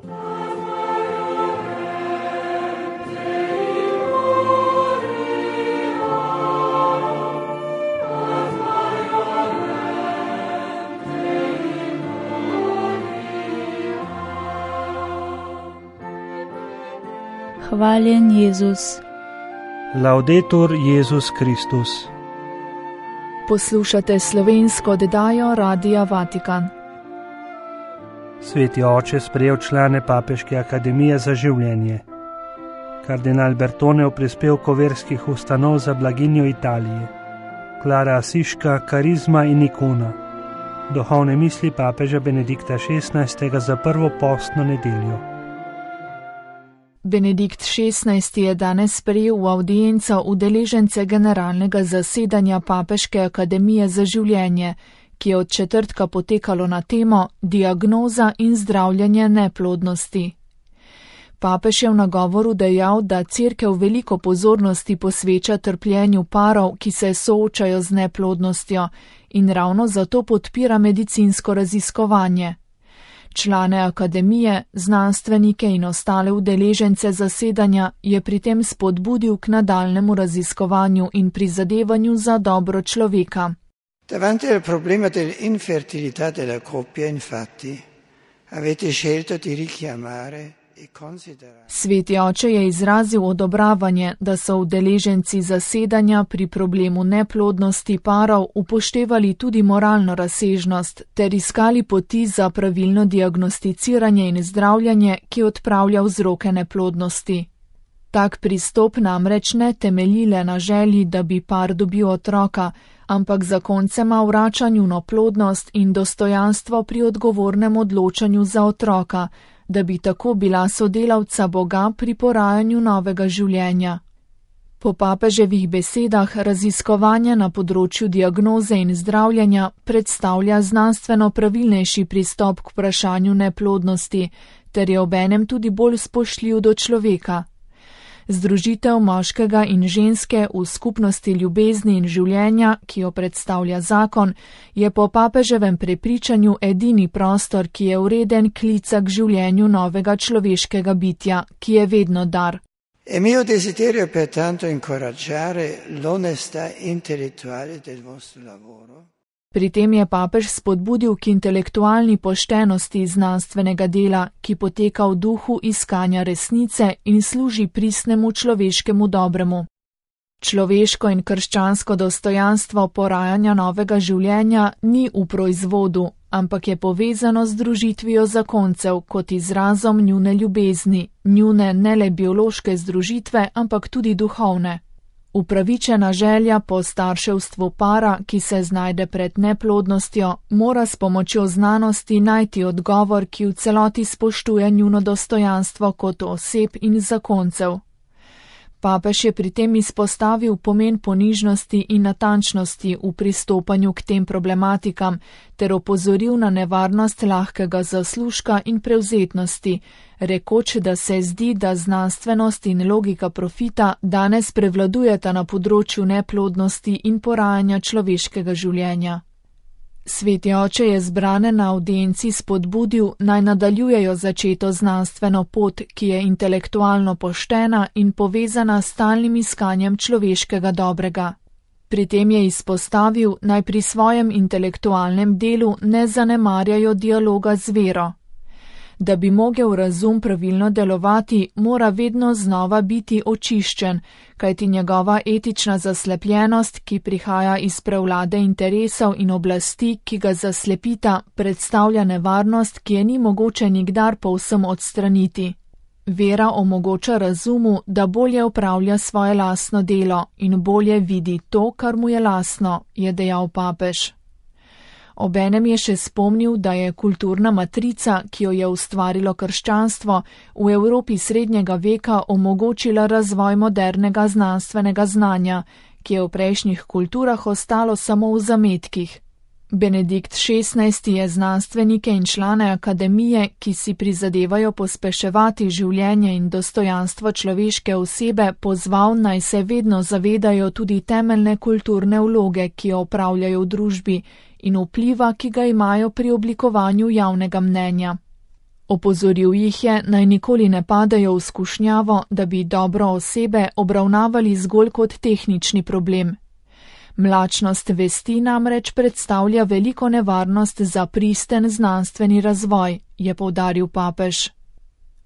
Hvaljen Jezus. Laudetur Jezus Kristus. Poslušate slovensko oddajo Radia Vatikan. Sveti oče sprejel člane Papeške akademije za življenje. Kardinal Bertone v prispevku verskih ustanov za blaginjo Italije. Klara Asiška, karizma in ikona. Duhovne misli papeža Benedikta XVI. Za prvo postno nedeljo. Benedikt XVI. Je danes sprejel v avdienco udeležence generalnega zasedanja Papeške akademije za življenje, ki je od četrtka potekalo na temo Diagnoza in zdravljenje neplodnosti. Papež je v nagovoru dejal, da Cerkev veliko pozornosti posveča trpljenju parov, ki se soočajo z neplodnostjo, in ravno zato podpira medicinsko raziskovanje. Člane akademije, znanstvenike in ostale udeležence zasedanja je pri tem spodbudil k nadaljnemu raziskovanju in prizadevanju za dobro človeka. Davanti al problema dell'infertilità della coppia, infatti, avete scelto di richiamare e considerare. Sveti oče je izrazil odobravanje, da so udeleženci zasedanja pri problemu neplodnosti parov upoštevali tudi moralno razsežnost ter iskali poti za pravilno diagnosticiranje in zdravljenje, ki odpravlja vzroke neplodnosti. Tak pristop namreč ne temelji le na želji, da bi par dobil otroka, ampak zakoncema vrača njuno plodnost in dostojanstvo pri odgovornem odločanju za otroka, da bi tako bila sodelavca Boga pri porajanju novega življenja. Po papeževih besedah raziskovanje na področju diagnoze in zdravljenja predstavlja znanstveno pravilnejši pristop k vprašanju neplodnosti, ter je obenem tudi bolj spoštljiv do človeka. Združitev moškega in ženske v skupnosti ljubezni in življenja, ki jo predstavlja zakon, je po papeževem prepričanju edini prostor, ki je vreden klica k življenju novega človeškega bitja, ki je vedno dar. È mio desiderio pertanto incoraggiare l'onestà intellettuale del vostro lavoro. Pri tem je papež spodbudil k intelektualni poštenosti znanstvenega dela, ki poteka v duhu iskanja resnice in služi pristnemu človeškemu dobremu. Človeško in krščansko dostojanstvo porajanja novega življenja ni v proizvodu, ampak je povezano z združitvijo zakoncev kot izrazom njune ljubezni, njune ne le biološke združitve, ampak tudi duhovne. Upravičena želja po starševstvu para, ki se znajde pred neplodnostjo, mora s pomočjo znanosti najti odgovor, ki v celoti spoštuje njuno dostojanstvo kot oseb in zakoncev. Papež je pri tem izpostavil pomen ponižnosti in natančnosti v pristopanju k tem problematikam ter opozoril na nevarnost lahkega zaslužka in prevzetnosti, rekoč, da se zdi, da znanstvenost in logika profita danes prevladujeta na področju neplodnosti in porajanja človeškega življenja. Sveti oče je zbrane na avdienci spodbudil, naj nadaljujejo začeto znanstveno pot, ki je intelektualno poštena in povezana s stalnim iskanjem človeškega dobrega. Pri tem je izpostavil, naj pri svojem intelektualnem delu ne zanemarjajo dialoga z vero. Da bi mogel razum pravilno delovati, mora vedno znova biti očiščen, kajti njegova etična zaslepljenost, ki prihaja iz prevlade interesov in oblasti, ki ga zaslepita, predstavlja nevarnost, ki je ni mogoče nikdar povsem odstraniti. Vera omogoča razumu, da bolje opravlja svoje lastno delo in bolje vidi to, kar mu je lastno, je dejal papež. Obenem je še spomnil, da je kulturna matrica, ki jo je ustvarilo krščanstvo, v Evropi srednjega veka omogočila razvoj modernega znanstvenega znanja, ki je v prejšnjih kulturah ostalo samo v zametkih. Benedikt XVI. Je znanstvenike in člane akademije, ki si prizadevajo pospeševati življenje in dostojanstvo človeške osebe, pozval, naj se vedno zavedajo tudi temeljne kulturne vloge, ki jo opravljajo v družbi, in vpliva, ki ga imajo pri oblikovanju javnega mnenja. Opozoril jih je, naj nikoli ne padajo v skušnjavo, da bi dobro osebe obravnavali zgolj kot tehnični problem. Mlačnost vesti namreč predstavlja veliko nevarnost za pristen znanstveni razvoj, je poudaril papež.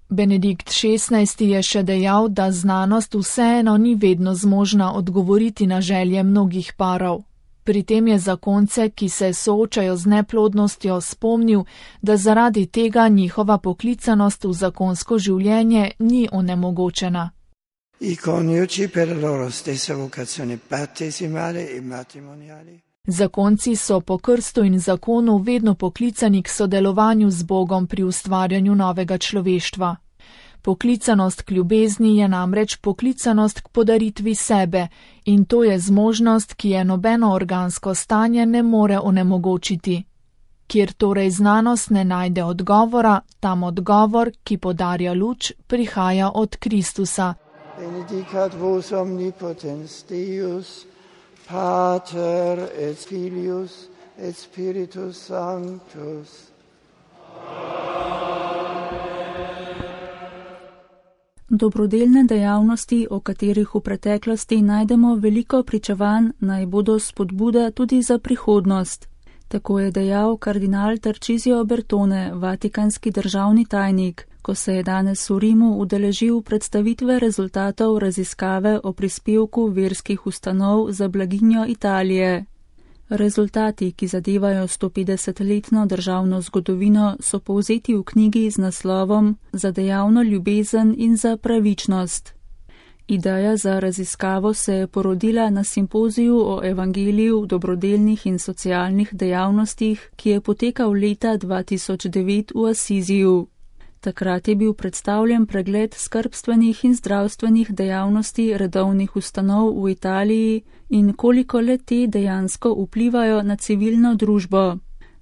Benedikt XVI je še dejal, da znanost vseeno ni vedno zmožna odgovoriti na želje mnogih parov. Pri tem je zakonce, ki se soočajo z neplodnostjo, spomnil, da zaradi tega njihova poklicanost v zakonsko življenje ni onemogočena. I coniugi per la loro stessa vocazione battesimale e matrimoniale. Zakonci so po krstu in zakonu vedno poklicani k sodelovanju z Bogom pri ustvarjanju novega človeštva. Poklicanost k ljubezni je namreč poklicanost k podaritvi sebe in to je zmožnost, ki je nobeno organsko stanje ne more onemogočiti. Kjer torej znanost ne najde odgovora, tam odgovor, ki podarja luč, prihaja od Kristusa. Benedicat vos omnipotens Deus, Pater et Filius et Spiritus Sanctus. Dobrodelne dejavnosti, o katerih v preteklosti najdemo veliko pričevanj, naj bodo spodbuda tudi za prihodnost. Tako je dejal kardinal Tarcisio Bertone, vatikanski državni tajnik, ko se je danes v Rimu udeležil predstavitve rezultatov raziskave o prispevku verskih ustanov za blaginjo Italije. Rezultati, ki zadevajo 150-letno državno zgodovino, so povzeti v knjigi z naslovom Za dejavno ljubezen in za pravičnost. Ideja za raziskavo se je porodila na simpoziju o evangeliju, dobrodelnih in socialnih dejavnostih, ki je potekal leta 2009 v Asiziju. Takrat je bil predstavljen pregled skrbstvenih in zdravstvenih dejavnosti redovnih ustanov v Italiji in koliko le te dejansko vplivajo na civilno družbo.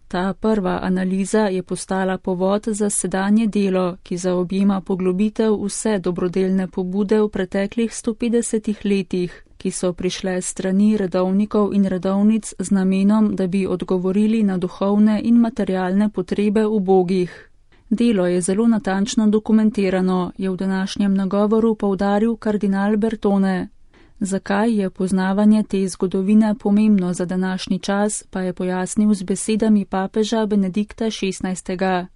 Ta prva analiza je postala povod za sedanje delo, ki zaobjema poglobitev vse dobrodelne pobude v preteklih 150 letih, ki so prišle s strani redovnikov in redovnic z namenom, da bi odgovorili na duhovne in materialne potrebe ubogih. Delo je zelo natančno dokumentirano, je v današnjem nagovoru poudaril kardinal Bertone. Zakaj je poznavanje te zgodovine pomembno za današnji čas, pa je pojasnil z besedami papeža Benedikta XVI.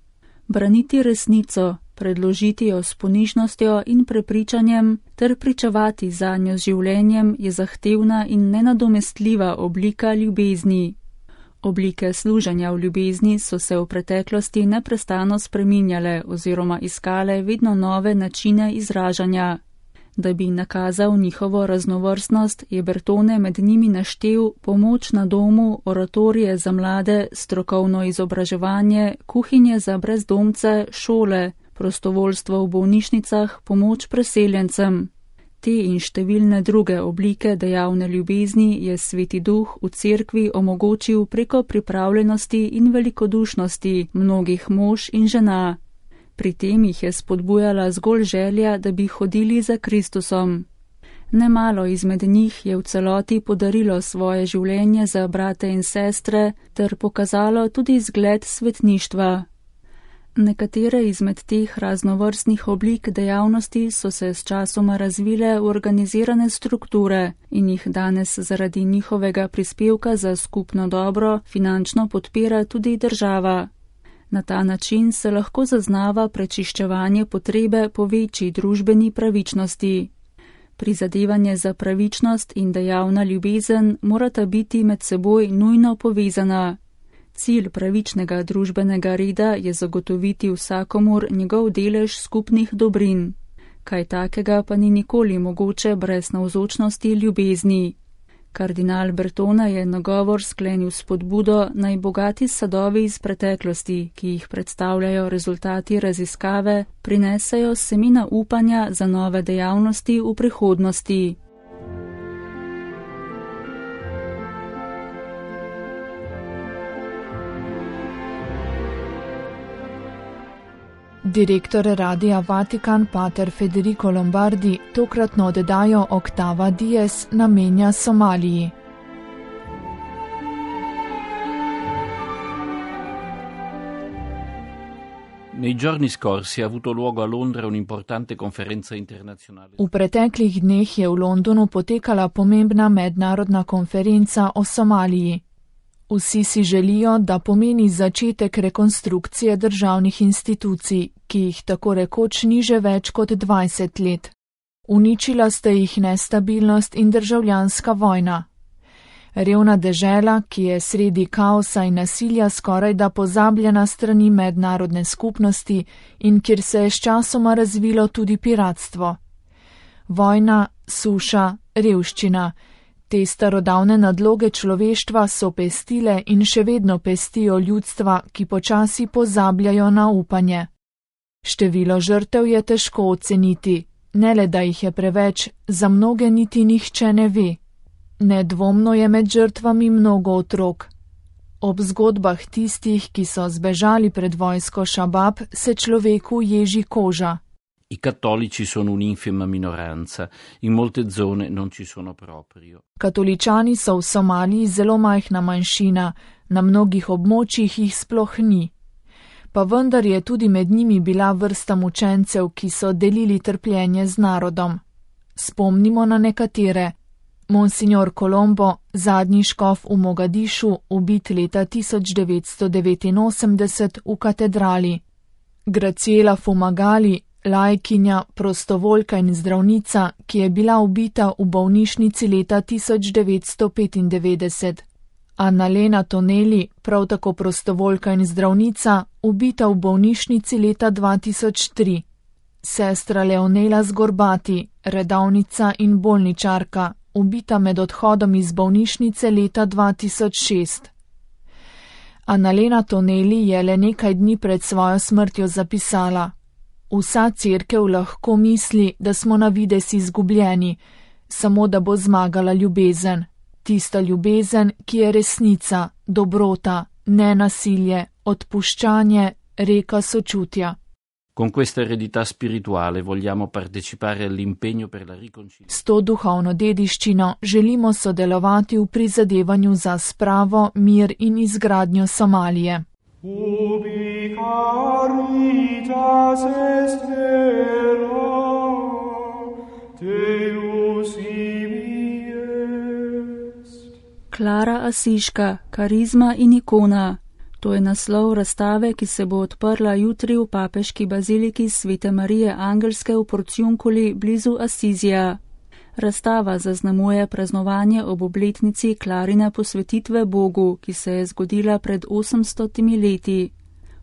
Braniti resnico, predložiti jo s ponižnostjo in prepričanjem ter pričevati zanjo z življenjem je zahtevna in nenadomestljiva oblika ljubezni. Oblike služenja v ljubezni so se v preteklosti neprestano spreminjale oziroma iskale vedno nove načine izražanja. Da bi nakazal njihovo raznovrstnost, je Bertone med njimi naštel pomoč na domu, oratorije za mlade, strokovno izobraževanje, kuhinje za brezdomce, šole, prostovoljstvo v bolnišnicah, pomoč preseljencem. Te in številne druge oblike dejavne ljubezni je Sveti Duh v cerkvi omogočil preko pripravljenosti in velikodušnosti mnogih mož in žena. Pri tem jih je spodbujala zgolj želja, da bi hodili za Kristusom. Nemalo izmed njih je v celoti podarilo svoje življenje za brate in sestre ter pokazalo tudi zgled svetništva. Nekatere izmed teh raznovrstnih oblik dejavnosti so se s časoma razvile v organizirane strukture in jih danes zaradi njihovega prispevka za skupno dobro finančno podpira tudi država. Na ta način se lahko zaznava prečiščevanje potrebe po večji družbeni pravičnosti. Prizadevanje za pravičnost in dejavna ljubezen morata biti med seboj nujno povezana. Cilj pravičnega družbenega reda je zagotoviti vsakomur njegov delež skupnih dobrin. Kaj takega pa ni nikoli mogoče brez navzočnosti ljubezni. Kardinal Bertone je nagovor sklenil s spodbudo naj bogati sadovi iz preteklosti, ki jih predstavljajo rezultati raziskave, prinesejo semena upanja za nove dejavnosti v prihodnosti. Direktor Radia Vatikan pater Federico Lombardi tokratno oddajo Octava Dies namenja Somaliji. Nei giorni scorsi ha avuto luogo a Londra un'importante conferenza internazionale. V preteklih dneh je v Londonu potekala pomembna mednarodna konferenca o Somaliji. Vsi si želijo, da pomeni začetek rekonstrukcije državnih institucij, ki jih tako rekoč ni že več kot 20 let. Uničila sta jih nestabilnost in državljanska vojna. Revna dežela, ki je sredi kaosa in nasilja skoraj da pozabljena strani mednarodne skupnosti in kjer se je sčasoma razvilo tudi piratstvo. Vojna, suša, revščina. Te starodavne nadloge človeštva so pestile in še vedno pestijo ljudstva, ki počasi pozabljajo na upanje. Število žrtev je težko oceniti, ne le da jih je preveč, za mnoge niti nihče ne ve. Nedvomno je med žrtvami mnogo otrok. Ob zgodbah tistih, ki so zbežali pred vojsko Šabab, se človeku ježi koža. I cattolici sono un'infima minoranza, in molte zone non ci sono proprio. Katoličani so v Somaliji zelo majhna manjšina, na mnogih območjih jih sploh ni. Pa vendar je tudi med njimi bila vrsta mučencev, ki so delili trpljenje z narodom. Spomnimo na nekatere. Monsignor Colombo, zadnji škof v Mogadišu, ubit leta 1989 v katedrali. Graciela Fumagali, lajkinja, prostovoljka in zdravnica, ki je bila ubita v bolnišnici leta 1995. Annalena Toneli, prav tako prostovoljka in zdravnica, ubita v bolnišnici leta 2003. Sestra Leonela Zgorbati, redavnica in bolničarka, ubita med odhodom iz bolnišnice leta 2006. Annalena Toneli je le nekaj dni pred svojo smrtjo zapisala: Vsa cerkev lahko misli, da smo na vides izgubljeni, samo da bo zmagala ljubezen. Tista ljubezen, ki je resnica, dobrota, nenasilje, odpuščanje, reka sočutja. Con questa eredità spirituale vogliamo partecipare all'impegno per la riconciliazione. S to duhovno dediščino želimo sodelovati v prizadevanju za spravo, mir in izgradnjo Somalije. Ubi caritas est vera, Deus ibi est. Klara Asiška, karizma in ikona. To je naslov razstave, ki se bo odprla jutri v papeški baziliki Svete Marije Angelske v Porciunculi blizu Asizija. Razstava zaznamuje praznovanje ob obletnici Klarine posvetitve Bogu, ki se je zgodila pred 800 leti.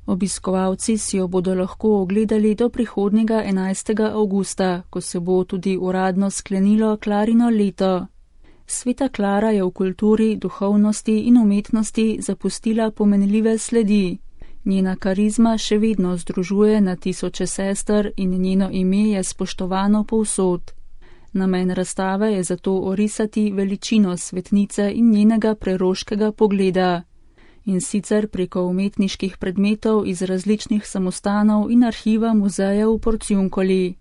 Obiskovalci si jo bodo lahko ogledali do prihodnjega 11. avgusta, ko se bo tudi uradno sklenilo Klarino leto. Sveta Klara je v kulturi, duhovnosti in umetnosti zapustila pomenljive sledi. Njena karizma še vedno združuje na tisoče sester in njeno ime je spoštovano povsod. Namen razstave je zato orisati veličino svetnice in njenega preroškega pogleda. In sicer preko umetniških predmetov iz različnih samostanov in arhiva muzeja v Porciuncoli.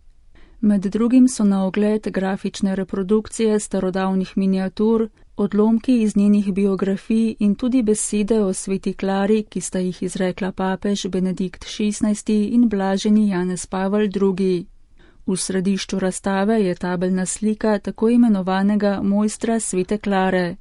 Med drugim so na ogled grafične reprodukcije starodavnih miniatur, odlomki iz njenih biografij in tudi besede o sveti Klari, ki sta jih izrekla papež Benedikt XVI in blaženi Janez Pavel II. V središču razstave je tabelna slika tako imenovanega mojstra svete Klare.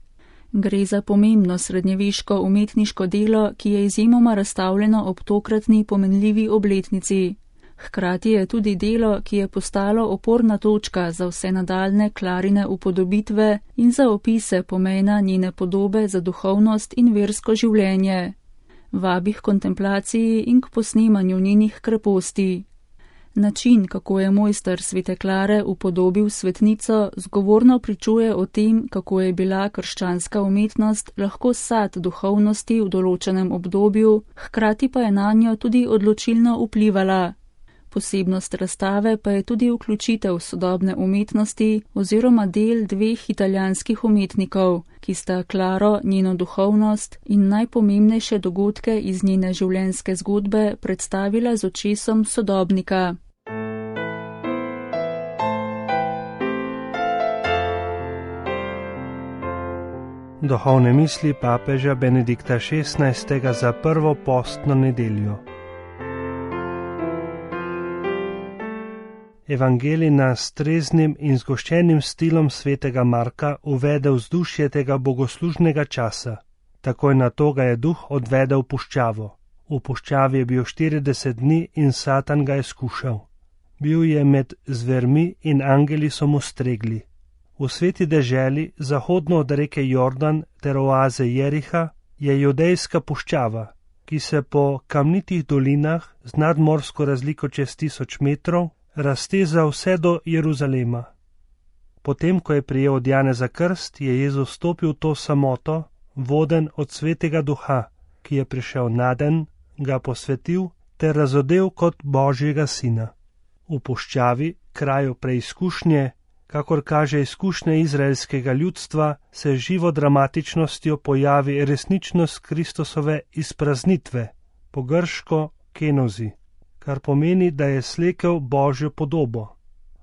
Gre za pomembno srednjeveško umetniško delo, ki je izjemoma razstavljeno ob tokratni pomenljivi obletnici. Hkrati je tudi delo, ki je postalo oporna točka za vse nadaljne Klarine upodobitve in za opise pomena njene podobe za duhovnost in versko življenje. Vabi k kontemplaciji in k posnemanju njenih kreposti. Način, kako je mojster svete Klare upodobil svetnico, zgovorno pričuje o tem, kako je bila krščanska umetnost lahko sad duhovnosti v določenem obdobju, hkrati pa je nanjo tudi odločilno vplivala. Posebnost razstave pa je tudi vključitev sodobne umetnosti oziroma del dveh italijanskih umetnikov, ki sta Klaro, njeno duhovnost in najpomembnejše dogodke iz njene življenjske zgodbe predstavila z očesom sodobnika. Duhovne misli papeža Benedikta XVI za prvo postno nedeljo. Evangelij nas s treznim in zgoščenim stilom svetega Marka uvede v vzdušje tega bogoslužnega časa. Takoj na to ga je duh odvedel v puščavo. V puščavi je bil 40 dni in Satan ga je skušal. Bil je med zvermi in angeli so mu stregli. V sveti deželi, zahodno od reke Jordan ter oaze Jeriha, je judejska puščava, ki se po kamnitih dolinah z nadmorsko razliko čez 1000 metrov razteza vse do Jeruzalema. Potem, ko je prijel od Janeza krst, je Jezus stopil v to samoto, voden od svetega duha, ki je prišel naden, ga posvetil ter razodel kot Božjega sina. V puščavi, kraju preizkušnje, kakor kaže izkušnje izraelskega ljudstva, se živo dramatičnostjo pojavi resničnost Kristusove izpraznitve, po grško kenozi, kar pomeni, da je slekel Božjo podobo.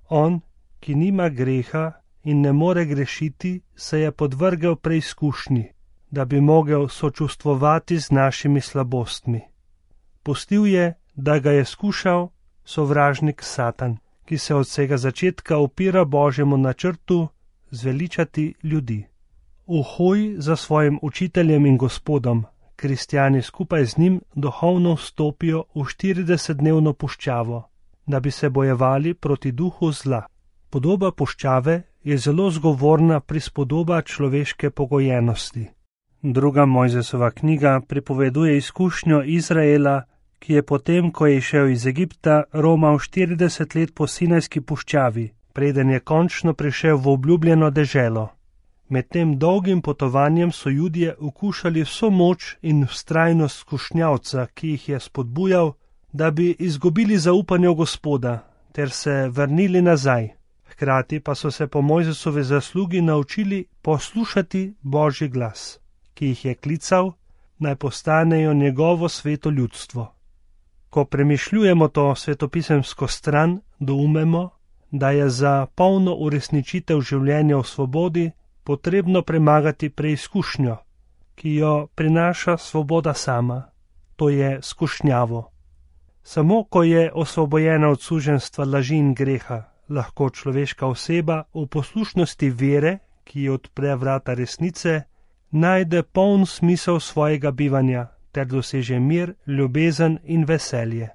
On, ki nima greha in ne more grešiti, se je podvrgel preizkušnji, da bi mogel sočustvovati z našimi slabostmi. Pustil je, da ga je skušal sovražnik Satan, ki se od vsega začetka upira Božjemu načrtu zveličati ljudi. V hoji za svojim učiteljem in gospodom, kristjani skupaj z njim duhovno vstopijo v 40-dnevno puščavo, da bi se bojevali proti duhu zla. Podoba puščave je zelo zgovorna prispodoba človeške pogojenosti. Druga Mojzesova knjiga pripoveduje izkušnjo Izraela, ki je potem, ko je išel iz Egipta, romal 40 let po Sinajski puščavi, preden je končno prišel v obljubljeno deželo. Med tem dolgim potovanjem so Judje okušali vso moč in vztrajnost skušnjavca, ki jih je spodbujal, da bi izgubili zaupanje v Gospoda ter se vrnili nazaj. Hkrati pa so se po Mojzesovi zaslugi naučili poslušati Božji glas, ki jih je klical, naj postanejo njegovo sveto ljudstvo. Ko premišljujemo to svetopisemsko stran, doumemo, da je za polno uresničitev življenja v svobodi potrebno premagati preizkušnjo, ki jo prinaša svoboda sama, to je skušnjavo. Samo ko je osvobojena od suženjstva laži in greha, lahko človeška oseba v poslušnosti vere, ki ji odpre vrata resnice, najde poln smisel svojega bivanja ter doseže mir, ljubezen in veselje.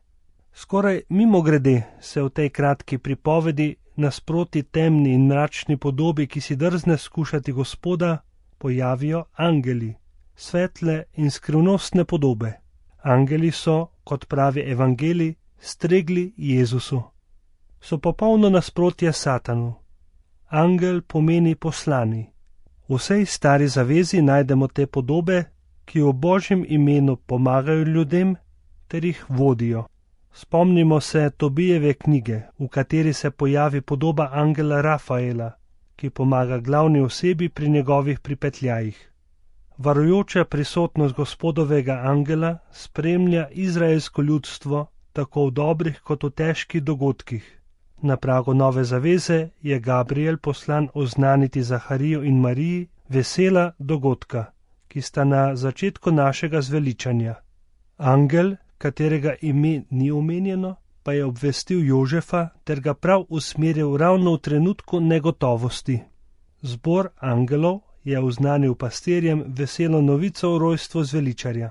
Skoraj mimogrede se v tej kratki pripovedi nasproti temni in mračni podobi, ki si drzne skušati Gospoda, pojavijo angeli, svetle in skrivnostne podobe. Angeli so, kot pravi Evangelij, stregli Jezusu. So popolno nasprotje Satanu. Angel pomeni poslani. V vsej stari zavezi najdemo te podobe, ki v Božjem imenu pomagajo ljudem ter jih vodijo. Spomnimo se Tobijeve knjige, v kateri se pojavi podoba angela Rafaela, ki pomaga glavni osebi pri njegovih pripetljajih. Varujoča prisotnost Gospodovega angela spremlja izraelsko ljudstvo tako v dobrih kot v težkih dogodkih. Na pragu nove zaveze je Gabriel poslan oznaniti Zahariju in Mariji vesela dogodka, ki sta na začetku našega zveličanja. Angel, katerega ime ni omenjeno, pa je obvestil Jožefa ter ga prav usmeril ravno v trenutku negotovosti. Zbor angelov je oznanil pastirjem veselo novico o rojstvu zveličarja.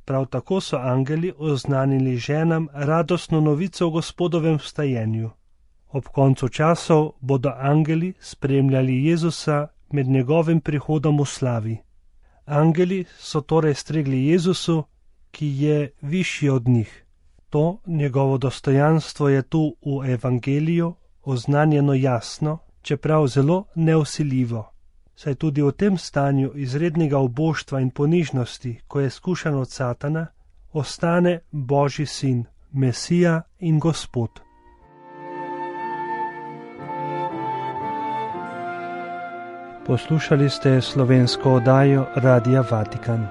Prav tako so angeli oznanili ženam radostno novico o Gospodovem vstajenju. Ob koncu časov bodo angeli spremljali Jezusa med njegovim prihodom v slavi. Angeli so torej stregli Jezusu, ki je višji od njih. To njegovo dostojanstvo je tu v Evangeliju oznanjeno jasno, čeprav zelo nevsiljivo. Saj tudi v tem stanju izrednega uboštva in ponižnosti, ko je skušan od Satana, ostane Božji sin, Mesija in Gospod. Poslušali ste slovensko oddajo Radia Vatikan.